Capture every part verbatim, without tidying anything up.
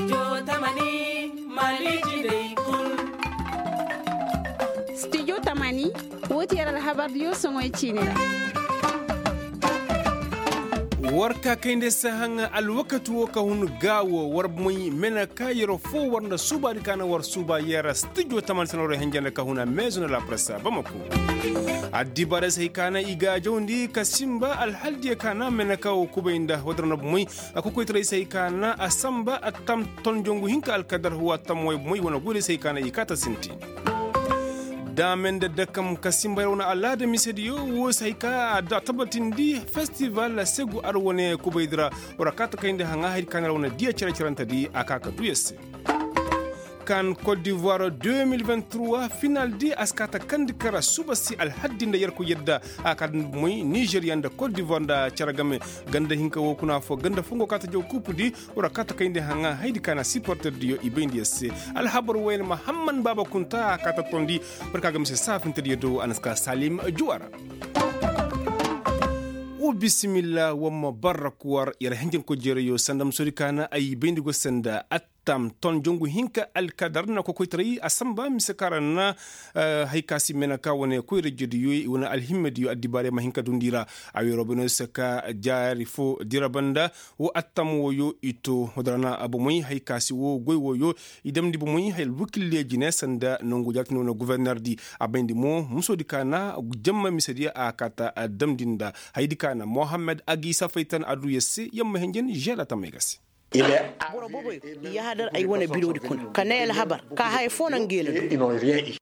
Studio tamani, woo ti yer alhabardiyo soŋoy ciini ra. War ka kayndi se haŋ alwakati woo ka hun gaa woo war moy mena ka yer foo war nda suubaadi ka na war suuba yer studio tamani se na war henjanda ka hun a meezo na la presse bamako. Addibaarey se hay ka na i ga a jawndi ka sinba alhaldiyo ka na mena ka woo kubay nda war nda moy a kokoytaray se hay ka na a sanba a tam ton jongu hinka alkadar huwa tam way moy wane goyday se hay ka na i kaata sinti. Daame nda dakam ka sinba yer wane alaada misediyo woo se hay ka a tabatindi festival segu ar wane kubaydi ra. War a kaata kayndi haŋa haydi ka na yer wane diya cere-cerentedi a ka ka duu yer se. Kan kot divoir deux mille vingt trois finaldi a si kaata kandi kara suba si alhaddi nda yerkoy yadda a kaata moy nizeriya nda kot divoir nda cere game. Ganda hinka woo kuna foo ganda fongo kaata jaw kuupudi. War a kaata kayndi haŋa haydi ka na siporterdiyo i bayndi yer se. Alhabar wooyaŋ mahamman baaba kunta a kaata tondi. War ka ga mise saafintediyo do a na si ka salim juwa ra. Wa bisimilla wamma barrak war yer henjenkoy jeerayo sanda musoodi ka na ay bayndi go sanda. Tam ton jongu hinka alkadar na kokoytaray a sanba mise ka ra na hay ka si mena ka wane koyra jediyo i wane alhimmediyo addibaarey ma hin ka dundi ra. A weeroo bay no se ka jaari fo dira banda. Wo attam woyo i to wodara na bomoy hay ka si wo goy woyo i damndi bomoy hay alwakildiyo jine sanda nangu jaati no wane gofornerdi. A bayndi mo musoodi ka na jamma misediyo a kaata damndi nda haydi ka na mohammed agi safaytan a duu yer se yamma henjen žela tamay ga se. Boro booboyo i yahadar ay wane biroodi kuna ka ne alhabar ka haya foo na ngey na du.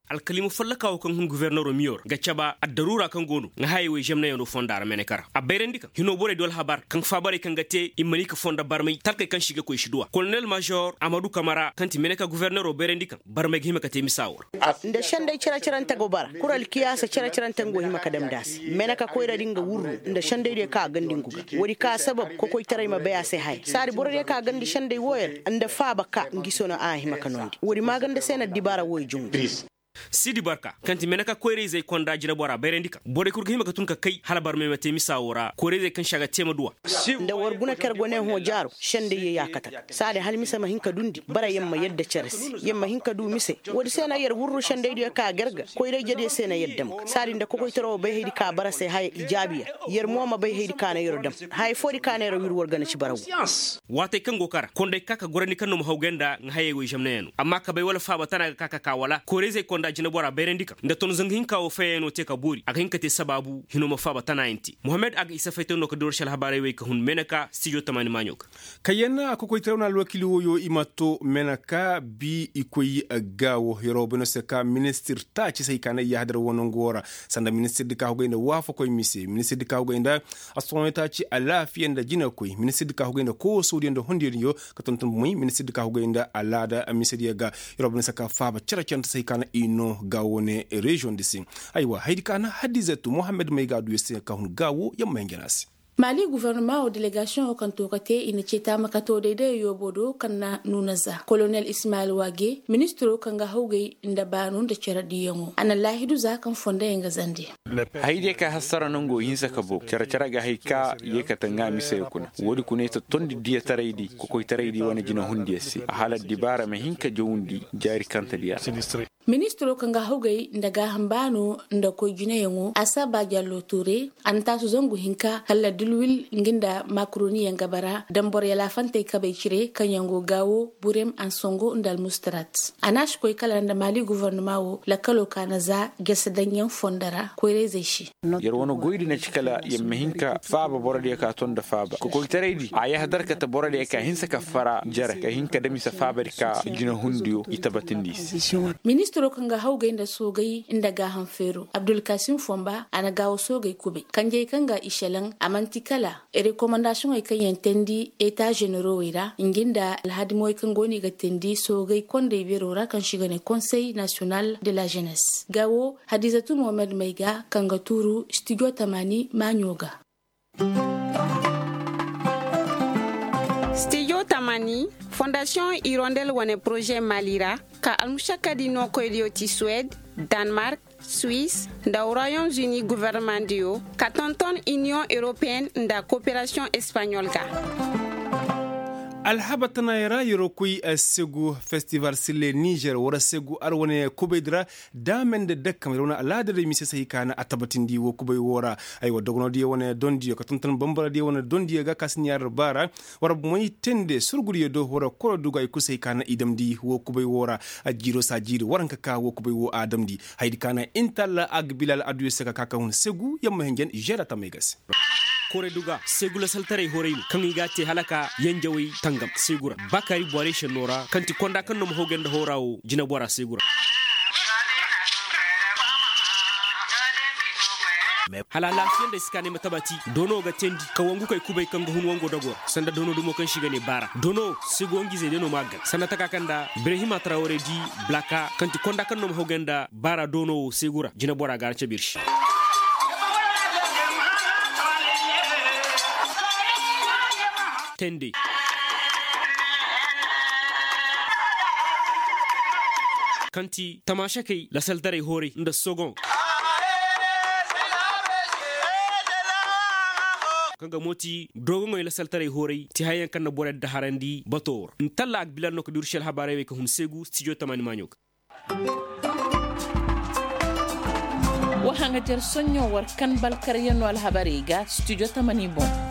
Alkalima follokaa woo kaŋ hun goforneroo miyo ra ga caba addaruura kaŋ go no nga hayey wey zemnayaŋo fonda ra meneka ra a bayrandi kaŋ hinoo borey du alhabar kaŋ faabarey kaŋ ga te i ma ni ka fonda barmay talkey kaŋ se i ga koy si duw'a kolonel mažor amadu kamara kaŋ ti meneka goforneroo bayrandi kaŋ barmay ga hima ka te misa woo ra. Nda sendey cere-cerante go bara kura alkiyaasa cere-cerante nga go hima ka damndi a se meneka koyradi nga wurru nda sendeydiyo kaŋ a gandi ngu ga woodi ka sabab kokoytaray ma bay a se haya saadi borodiyo kaŋ a gandi sendey wooyo ra nda faaba ka ngi sono a hima ka noondi woodi maaganda se na addibaara wooyo jungu. Sidi barka kaŋ ti meneka koyra-izey konda jineboraa bayrandi kaŋ borey kul ga hima ka tun ka kay hala barmay ma te misa woo ra koyra-izey kaŋ se a ga te ma duw'a. Nda war guna ka yer go ne hõ jaaro sendey yee yaakata ga saadi hala mise ma hin ka dundi bara yer ma yadda cere se yer ma hin ka du mise. Woodi se na yer wurru sendeydiyo ka gar ga koyra-ijediyo se na yer dam ga saadi nda kokoytara woo bay haydi ka bara se haya ijaabiya yer mo ma bay haydi ka na yer dam haya foodi ka na yer wir war gana ci bara woo. Waatey kaŋ go kara kondey ka ka gorandi kaŋ no ma hawgay nda nga hayey woy zemnayaŋo amma kabay wala faaba tana ga ka ka ka wala koyra-izey konda jineboraa bayrandi kaŋ nda ton zangu hinka woo fayayaŋo te ka boori a ga hin ka te sabaabu hinoo ma faaba tanayaŋ te mohammed a ga isa faytay no ka dii war se alhabaarey wey ka hun meeneka stijo tamaani maaɲo ga. Kayyanna a kokoytaraw na alwakiili woyo i ma to meeneka bi i koy gaawo yeroo bay no se ka ministir taaci se hay ka na i yahadar woo nangu woo ra sanda ministirdi ka hogay nda waafakoy mise ministirdi ka hogay nda astoŋoy taaci alaafiya nda jinakoy ministirdi ka hogay nda koosoodiyo nda hondiyodiyo ka tonton bomoy ministirdi ka hogay nda alaada misediyo ga. Yeroo bay no se ka faaba cere-cerente se hay ka na i noo ga woone reziyoŋ di se. Aywa haydi ka na hadizatu mohammed may ga a duu yer se ka hun gaawo yer ma hin jana se. Maali gofornama woo delegasiyoŋo kaŋ to ka te i na cee taama ka too daydayo yoobo do kaŋ na nuuna za kolonel ismayil waage ministiroo kaŋ ga hawgay nda baanu nda cere diiyaŋo a na laahidu za kaŋ fondoyaŋ ga zandi. Haydiyo ka hassara nangoo hinsa ka boo cere-cere ga hay ka yeekate ŋaa miseyo kuna woodi kuna i ta tondi diyataraydi kokoytaraydi wane jinehundiyo se a hala dibaara ma hin ka jawndi jaari kantediyo ra. Ministiroo kaŋ ga hawgay nda gaaham baano nda koy jinayaŋo a saabaa jallo tuure a na taasu zangu hinka kala dilwil nga nda makroniyaŋ ga bara dambor yalaafantey kabey cire kaŋyaŋ go gaawo burem ansongo nda almustarat. A na a si koy kala nda maali gofornama woo lakkaloo ka na za gese daŋyaŋ fondo ra koyra-izey se. Yer wane goydi na ci kala yer ma hin ka faaba borodiyo ka to nda faaba kokoytaraydi a yahadar kate borodiyo ka hinsa ka fara jere ka hin ka dam i se faabadi ka jinehundiyo i tabatindi i se. Ministiroo kaŋ ga hawgay nda soogay nda gaaham feeroo abdulkasim fonba a na gaawo soogay kubay kanjey kaŋ ga i šelaŋ a man'ti kala rekomandasiyoŋey kaŋ yaŋ teendi eta ženerowey ra ngi nda alhadimowey kaŋ go no i ga teendi soogay kondey beeroo ra kaŋ se i ga ne konsey nasiyonal de la ženes gaawo hadizatu mohammed may ga kaŋ ga tuuru stijo tamaani maaɲo ga. Stijo tamani fondasiyoŋ irondel wane poroze maali ra ka almušakkadi nookoydiyo ti suwed, danmark, suwis nda royom zuni gofornamaŋdiyo ka tonton iniyoŋ europeyen nda koperasiyoŋ espaɲol ga. Alhabar tanaayey ra yeroo koy segu festival sille nizer war segu ar wane kubay di ra. Daame nda dakkamey ra wane alaada day mise se hay ka na a tabatindi woo kubay woo ra. Aywa dogonoo diyo wane dondiyo ka tonton bambara diyo wane dondiyo ga ka si ɲaari ra baara. War moy tende surgu diyo do war koro duga i kul se hay ka na i damndi woo kubay woo ra. Jiiro saa jiiri war hinka ka woo kubay woo a damndi. Haydi ka na intalla agbilal adduyo se ka ka ka hun segu yamma hinjan žeera tamey ga se. Koray duga segu lasaltaray horay no kaŋ i ga a te hala ka yanjawey tangam segu ra. Bakari bware šennoo ra kaŋ ti konda kaŋ no ma hawgay nda hooraa woo jinabora segu ra. Hala alaafiya nda ay si ka ne ma tabati doonoo ga teendi ka wangukey kubay kaŋ ga hun wangoo dagoo ra sanda doonoo dumo kaŋ se i ga ne baara doonoo segu wangizey day no ma a gar sanda taka kaŋ nda birahima tarawarey di. Blaka kaŋ ti konda kaŋ no ma hawgay nda baara doonoo woo segu ra jinabora ga a cabe ir se. Tende kaŋ ti tamaasakey lasaltaray hooray nda sogon. Kaŋ ga mo ti dogoŋey lasaltaray hooray ti hayyaŋ kaŋ na borey daharandi batoo ra ntalla agbilan no ka duru se alhabaarey wey ka hun seegu stijo tamaani maaɲo ga. Wa haŋajer soɲõ war kan balkaryanoo alhabarey ga stijo tamani boŋ.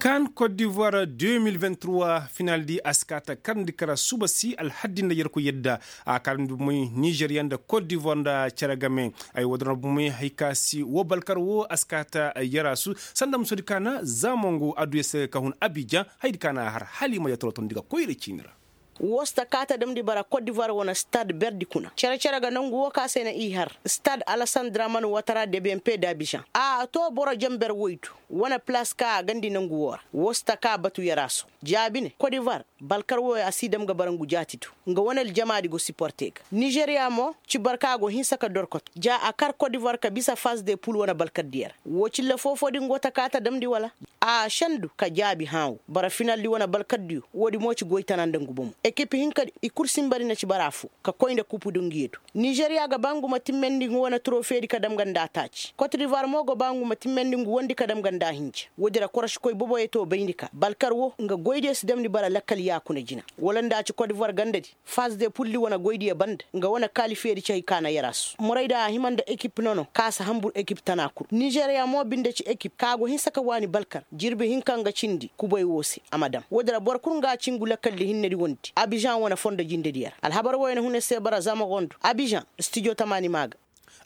Kan kot divoir deux mille vingt trois final di a si kaa ta karndi kara suba si alhaddi nda yerkoy yadda. A karndi bomoy nizeriya nda kot divoir nda cere game. Ay wadana bomoy hay ka si wo balkar wo a si kaa ta yarasu sanda musodi ka na zamango adduya se ga ka hun abijan. Haydi ka na har hala i ma yatoro tondi ga koyra ciini ra. Wo si ta kaa ta damndi bara kot divoir wane stad berdi kuna cere-cere ga nangu wo ka se na i har stad alasandra man watara debempe da bizaŋ. A to boro jamber woy du wane plas ka a gandi nangu wo ra. Wo si ta kaa batu yaraso jaabi ne kot divoir balkar wo a si dam ga bara ngu jaati du. Nga wane aljamaadi go siporte ga nizeriya mo ci barka go hinsa ka dorkot ja a kar kot divoir ka bisa faz de pul wane balkar diya ra. Wo cilla foo-foo din go ta kaa ta damndi wala? A sendu ka jaabi hãawo bara finaldi wane balkaddiyo. Woodi mo ci goy tana nda ngu bomo ekip hinka i kul sinba di na ci bara affoo ka koy nda kupu dunguyo do. Nizeriya ga ba ngu ma timmendi ngu wane turofeedi ka dam ga nda taaci kot divoir mo ga ba ngu ma timmendi ngu wondi ka dam ga nda hinja. Woodi ra korosikoy boboyo to bayndi ka balkar wo nga goydiyo si damndi bara lakkal yaakuna jina wala nda ci kot divoir gandadi. Faz de pulli wane goydiyo banda nga wane kaalifeedi ci hay ka na yarasu morayda a hima nda ekip nono ka si hambur ekip tana kul nizeriya mo binde ci ekip ka go hinsa ka waani balkar jirbi hinka nga cindi kubay wo se a ma dam woodi ra boro kul nga ci ngu lakkaldi hinnedi wondi abizaŋ wane fondo jindediyo ra alhabar woyo na hune se bara zama gondo abizaŋ stijo tamaani maa ga.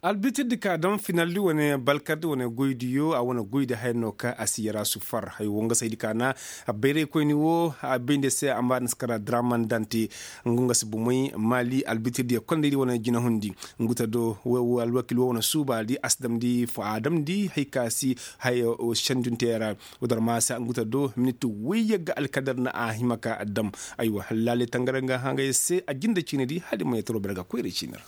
Albitirdi ka daŋ finaldi wane balkardi wane goydiyo a wane goydi haya no ka a si yarasu far hay wo nga saydi ka na bayraykoyni wo a bayndi se a ma ni si kara draman dante. Ngu nga si bomoy maali albitirdiyo kondaydi wane jinahundi. Ngu ta do wo alwakil wo wane suubaadi a si damndi fo a damndi hay ka si haya sendunteya ra. Wo dar maasa ngu ta do minit woyyagga alkadar na a hima ka dam. Aywa laaley tangara nga hangay se a jinde ciinidi hala i ma yataro bere ga koyra ciini ra.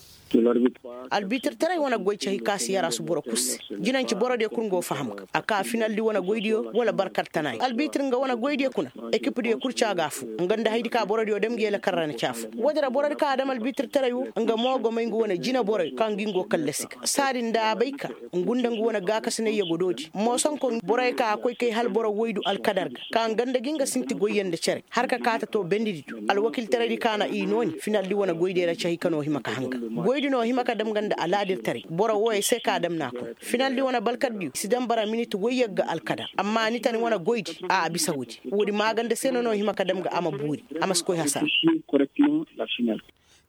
Albitirtaray wane goy cahi ka si yarasu boro kul se. Jinanci borodiyo kul nga go faham ga a ka finaldi wane goydiyo wala barkar tanaay albitir nga wane goydiyo kuna. Ekipdiyo kul ca ga affoo nga nda haydi ka borodiyo dam ngi yalakar ra na ci affoo woodi ra borodi ka a dam albitirtaray wo nga mo go may ngu wane jinaboroyo kaŋ ngi ngu go kallasi ga saadi nda a bay ka ngu nda ngu wane gaakasinayyo go doodi moosonko boroyo ka a koy kay hala boro woydu alkadar ga ka nga nda gi nga sinti goyyo nda cere har ka kaa ta to bendidi do alwakiltaraydi ka na i nooni finaldi wane goydiyo ra cahi ka no hima ka hanga goydi no hima ka dam nga nda alaadirtaray boro wooyo se ka dam na a kuna finaldi wane balkardiyo si dam bara minit woyyagga alkadar amma ni tani wane goydi a a bisa woodi woodi maaganda se no no hima ka dam ga a ma buuri a ma si koy hasara.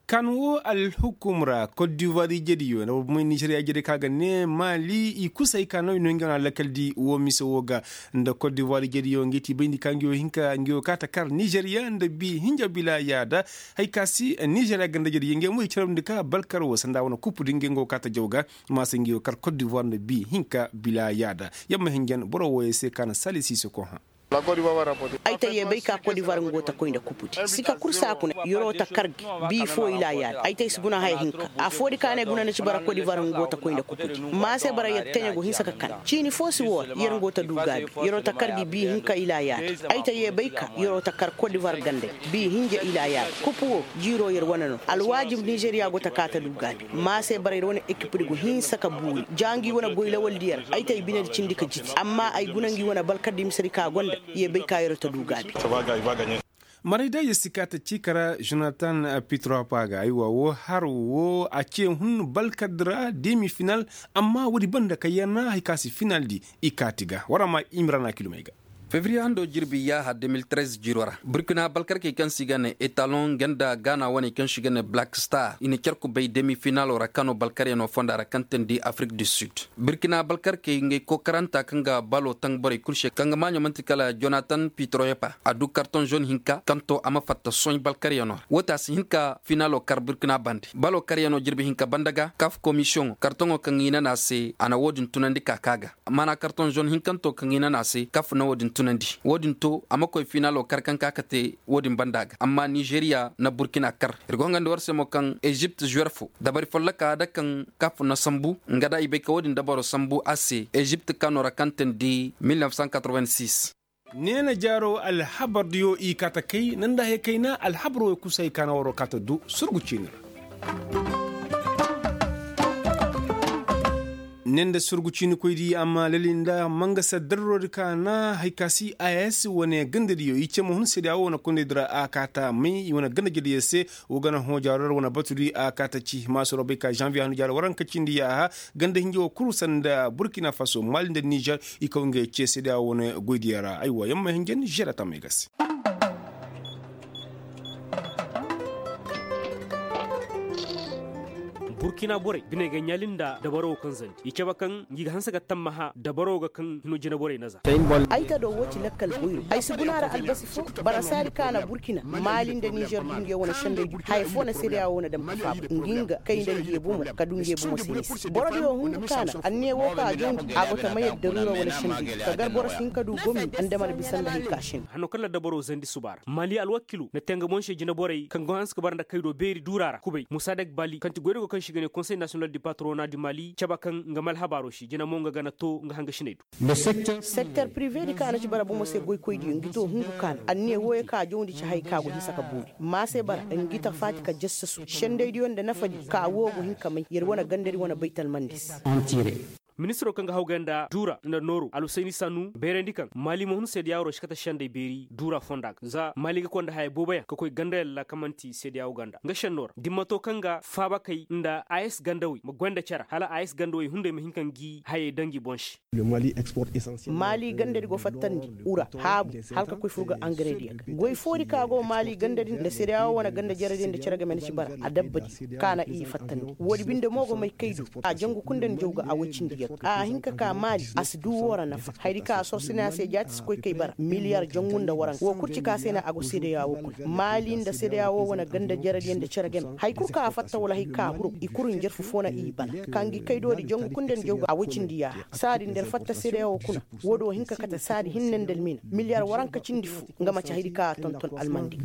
Kan wo alhukum ra kot divoir ijediyo nda bobomoy nizeriya ijediyo ka ga ne maali i kusay ka no i no nga no alakaldi wo mise wo ga nda kot divoir ijediyo nga i ti bayndi ka nga yo hinka nga yo ka ta kar nizeriya nda bi hinja bila yaada. Hay ka si nizeriya ganda ijediyo nga mo i carabndi ka balkar wo sanda wane kupu di nga nga wo ka ta jaw ga. Ma se nga yo kar kot divoir nda bi hinka bila yaada. Yamma hinjan boro wooyo se ka na sali siise ko hã. Ay ta yee bay ka kodivar nga go ta koy nda kupudi sika kul saa kuna yer'o ta kar gi bii foo ilaa yaadi ay ta ay si guna haya hinka afoo di ka ne guna na ci bara kodivar nga go ta koy nda kupudi. Maa se bara yer teɲe go hinsa ka kan ciini foo si woo ra yer nga go ta duu gaabi yer'o ta kar gi bii hinka ilaa yaadi ay ta yee bay ka yer'o ta kar kodivar ganda bii hinja ilaa yaadi kupu woo jiiroo yer wane no alwaajib nizeriya go ta kaa ta duu gaabi. Maa se bara yer wane ekipdi go hinsa ka buuri ja ngi wane goy lawaldiyo ra ay ta ay binedi cindi ka jiti amma ay guna ngi wane balkardi misedi ka gonda. Ye bay ka yer ta du gaabi. Maray da yer si ka ta ciika ra jonatan pitropa ga aywa woo har woo a ce hun balkar di ra demi final. Amma woodi banda ka yer na hari ka si final di i kaati ga war a ma imrana kilomey ga. Febriye hando jirbi yaaha de mil trez jiiro ra burkina balkarkey kaŋ se i ga ne etalon ganda gaana waney kaŋ se i ga ne black star i na care kubay demi finalo ra kano balkaryanoo fonda ra kaŋ teendi afrik du sud. Burkina balkarkey ngey kookaranta kaŋ ga balo taŋ borey kul se kaŋ ga maaɲo man'ti kala jonatan pitroyepa a du kartoŋ zone hinka kaŋ to a ma fatta soɲ balkaryanoo ra woo te a si hin ka finalo kar burkina bande balo karyanoo jirbi hinka banda ga kaf komisiyoŋo kartoŋo kaŋ i nan a se a na woo din tunandi ka kaa ga. Maana kartoŋ zone hinkanto kaŋ i nan a se kaf na woo din tunandi woo din to a ma koy finalo kar kaŋ ka ka te woo din banda ga amma nizeriya na burkina kar. Ir go hangandi war se mo kaŋ ezipt zuwer fo dabari folloka da kaŋ kaf na sambu nga da i bay ka woo din dabaro sambu a se ezipt kano ra kaŋ teendi mil nef san katroven sis. Neena jaaro alhabar diyo i kaata kay nda nda hay kayna alhabar wey kusa i kaana waroo kaata du surgu ciini ra. Ne nda surgu ciini koy di amma lali nda mangasa darro di kaana hay ka si a s wane ganda diyo i ce ma hun seeda wo wane kondey di ra a kaata may i wane ganda jere diyo se. Wo gana hõ jaaro ra wane batu di a kaata ci maasoro bay ka zanviye hanu jaaro waranka cindi yaaha ganda hinja wo kul sanda burkina faso mali nda nizer. I kaw ngey ce seeda wo wane goy diyo ra aywa yamma hinja nizer a tammay ga se. Burkina borey biney ga ɲaali nda dabaro wo kaŋ zandi i cabe kaŋ ngi ga hanse ga tammaha dabaro ga kaŋ hino jinaborey na za. Ay ta do wo ci lakkal goyro ay si guna ra albasi fo. Bara saadi ka na burkina mali nda nizer du nge wane sendey du haya fo na sedeya wo na dam ka faaba ngi nga kay nda nge bomo ka du nge bomo se ni se boro diyo hungu ka na anniya wo ka jongu a go ta mayar daruura wane sendey du ka gar boro si hin ka du gomi andama na bisa nda hay ka sendey. Hanno kaŋ na dabaro zandi suba ra mali alwakilo na te nga boŋ se jinaborey kaŋ go hanse ka bara nda kaydo beeri duura ra kubay musa dek bali kaŋ ti goydogo kaŋ se i ga ne konsey nasiyonal di patrona di mali cabe kaŋ nga ma alhabaaro se jina mo nga gana to nga hangasiney do. Sekter prive di kaŋ a na ci bara bomo se goykoy diyo ngi to hungu kaana anniya wooyo kaŋ a jawndi ci hay kaŋ a go hinsa ka boori ma se bara ngi ta faati ka jassasu sendey diyo nda nafa di kaŋ a woo go hin ka may yer wane gandari wane baytal mandi se. Ministiro kaŋ ga hawgay nda duura nda nooru alhusayni sanu bayrandi kaŋ maali ma hun seedeyaawoo ra si kate sendey beeri duura fonda ga za maali ga konda haya booboyaŋ ka koy gandayaŋ ra kaŋ man'ti seedeyaawoo ganda nga sennoo ra dimmato kaŋ ga faabakey nda a s gandawey ma goy nda cere hala a s gandawey hunday ma hin ka ngi hayey daŋ ngi boŋ se. Maali gandadi go fattandi ura haabu hala ka koy fur ga angarediya ga goy foodi ka go maali gandadi nda seedeyaawoo wane ganda jaradiyaŋ nda cere game na ci bara a dabbadi ka na i fattandi woodi binde mo go may kay du a jangu kundandi jaw ga a woy cindi yagga a hin ka ka maali a si du woo ra nafa hayadi ka a sorsine a se jaati si koy kay bara miliyar jangu nda waranka woo kul ci ka se na a go seedeyaawoo kuna maali nda seedeyaawoo wane ganda jaradiyaŋ nda cere game haya kul ka a fatta wala haya ka a huru i kul njarfu foo na i bana ka ngi kay doodi jangu kundandi jaw ga a woy cindi yaaha saadi nda yer fatta seedeyaawoo kuna woodi woo hin ka kate saadi hinne nda almiina miliyar waranka cindi foo nga man'ti hayadi ka a tonton almandi.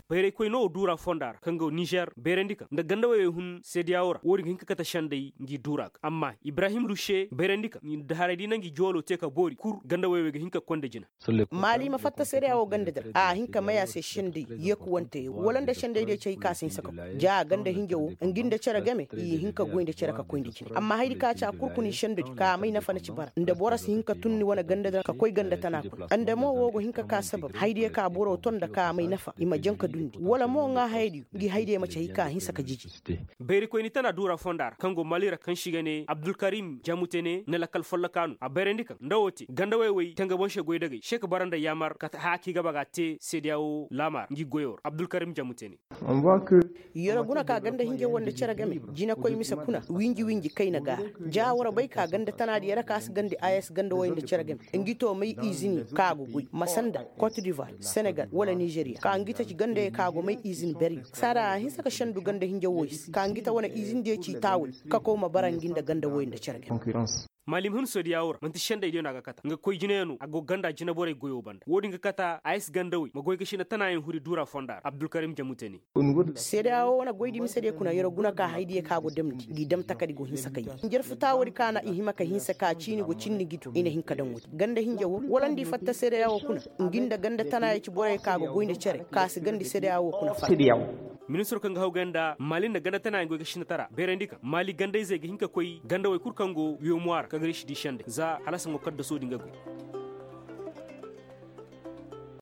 Bayraykoy no woo duura fonda ra kaŋ go nizer bayrandi kaŋ nda ganda woy wey hun seedeyaawoo ra woodi ga hin ka kate sendey ngi duura ga amma ibrahim rushe bayrandi kaŋ nda haray da i na ngi jooloo te ka boori kul ganda woy wey ga hin ka koy nda jina. Maali ma fatta seedeyaawoo ganda di ra a hin ka may a se sendey yeekuwante wala nda sendey diyo ci hay ka a si hinsa ka koy ja ganda hinja woo ngi nda cere game i hin ka goy nda cere ka koy nda jina amma hayadi ka ci a kul kuna i sendedi ka a may nafa na ci bara nda boro si hin ka tun ni wane ganda di ra ka koy ganda tana kuna nda mo woo go hin ka ka sabab hayadiyo ka boro ton nda ka a may nafa i ma jaŋ ka dundi wala mo ŋaa hayadiyo ngi hayadiyo ma ci hay ka a hinsa ka jiji. Bayrikoyni tana duura fonda ra kaŋ go maali ra kaŋ se i ga ne abdulkarim jamutene na lakkal folloka no a bayrandi kaŋ nda woo te ganda woy wey te nga boŋ se goydagey se ka bara nda yaamar kate haya kaŋ i ga ba ga a te seedeyaawo laama ra ngi goyoo ra abdulkarim jamutene. Yer guna ka ganda hinja woo nda cere game jinakoy mise kuna winji winji kayna ga a ja war bay ka ganda tanaadi yer ka si gandi a s ganda woy nda cere game ngi to may izini kaŋ a go goy masanda kot divoir senegal wala nizeriya ka ngi ta ci gandayey kaŋ a go may izini beryo saada a hinsa ka sendu ganda hinja woy se ka ngi ta wane izindiyo ci taawey ka koy ma bara ngi nda ganda woy nda cere game. Maali ma hun seedeyaawo ra man'ti sendey diyo no a ga kata nga koy jinayaŋo a go ganda jinaborey goyoo banda woo din ga kata a s gandawey ma goy ga sina tanaayaŋ huri duura fonda ra abdulkarim jamute ne. Seedeyaawo wane goydi mise diyo kuna yer guna ka haydiyo kaŋ a go damndi ngi dam takadi go hinsa ka yee njer futaa woodi kaŋ a na i hima ka hinsa ka ciini go cindi ngi do i na hin ka daŋ woodi ganda hinja woo wala nda i fatta seedeyaawo kuna ngi nda ganda tanaayey ci borey kaŋ a go goy nda cere kaŋ a si gandi seedeyaawo kuna fatta. Ministiro kaŋ ga hawgay nda maali nda ganda tanaayey goy ga sinatara beerandi kaŋ maali gandayzey ga hin ka koy gandawey kul kaŋ go wiyomwa ra kaŋ ga riisi di sendey za hala sango kaddasoo din ga goy.